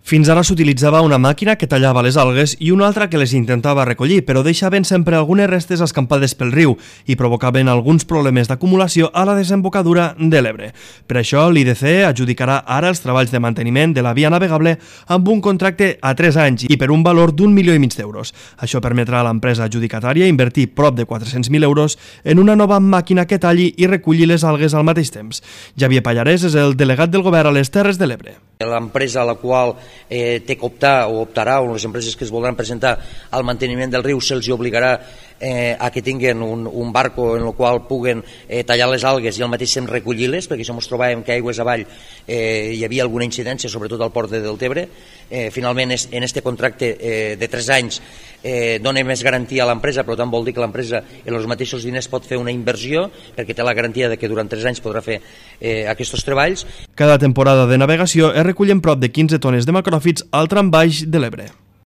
Fins ara s'utilitzava una màquina que tallava les algues i una altra que les intentava recollir, però deixaven sempre algunes restes escampades pel riu i provocaven alguns problemes d'acumulació a la desembocadura de l'Ebre. Per això, l'IDC adjudicarà ara els treballs de manteniment de la via navegable amb un contracte a 3 anys i per un valor d'1,5 milió d'euros. Això permetrà a l'empresa adjudicatària invertir prop de 400.000 euros en una nova màquina que talli i reculli les algues al mateix temps. Javier Pallarès és el delegat del govern a les Terres de l'Ebre. L'empresa a la qual té que optar o optarà, o les empreses que es voldran presentar al manteniment del riu, se'ls obligarà a que tinguin un barco en el qual puguen tallar les algues i al mateix temps recollir-les, perquè això ens trobàvem que aigües avall hi havia alguna incidència, sobretot al port de Deltebre. Finalment, en aquest contracte de 3 anys dona més garantia a l'empresa, però tant vol dir que l'empresa en els mateixos diners pot fer una inversió, perquè té la garantia de que durant 3 anys podrà fer aquests treballs. Cada temporada de navegació es recullen prop de 15 tones de macròfits al tram baix de l'Ebre.